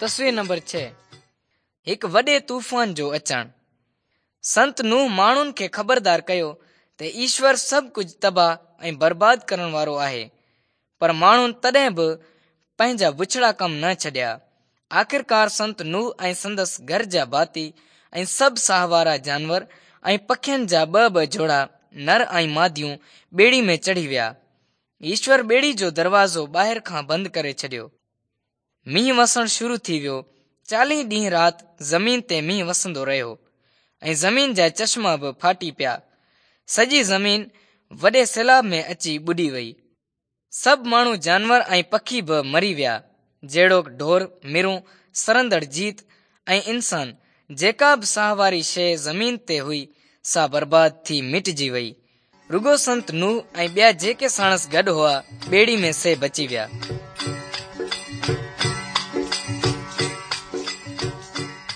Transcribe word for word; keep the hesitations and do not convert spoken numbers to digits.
تصوير نمبر ڇهه هڪ وڏي طوفان جو اچڻ. سنت نوح ماڻهن کي خبردار ڪيو ته ايشور سڀ ڪجهه تباهه ۽ برباد ڪرڻ وارو آهي، پر ماڻهن تڏهن به پنهنجا بڇڙا ڪم نه ڇڏيا. آخرڪار سنت نوح ۽ سندس گهر جا ڀاتي ۽ سڀ ساهوارا جانور ۽ پکين جا ٻه ٻه جوڙا نر ۽ ماديون ٻيڙي ۾ چڙهي ويا. ايشور ٻيڙي جو دروازو ٻاهر کان بند ڪري ڇڏيو. مينهن وسڻ شروع ٿي ويو. چاليهه ڏينهن رات زمين تي مينهن وسندو رهيو ۽ زمين جا چشما به ڦاٽي پيا. سڄي زمين وڏي سيلاب ۾ اچي ٻڏي وئي. سڀ ماڻهو، جانور ۽ پکي به مري ويا، جهڙوڪ ڍور، مرون، سرندڙ جيت ۽ انسان. جيڪا به ساهواري شيءِ زمين تي هئي سا برباد ٿي مٽجي وئي. رڳو سنت نوح ۽ ٻيا جيڪي ساڻس گڏ هئا ٻيڙي ۾ سي بچي ويا.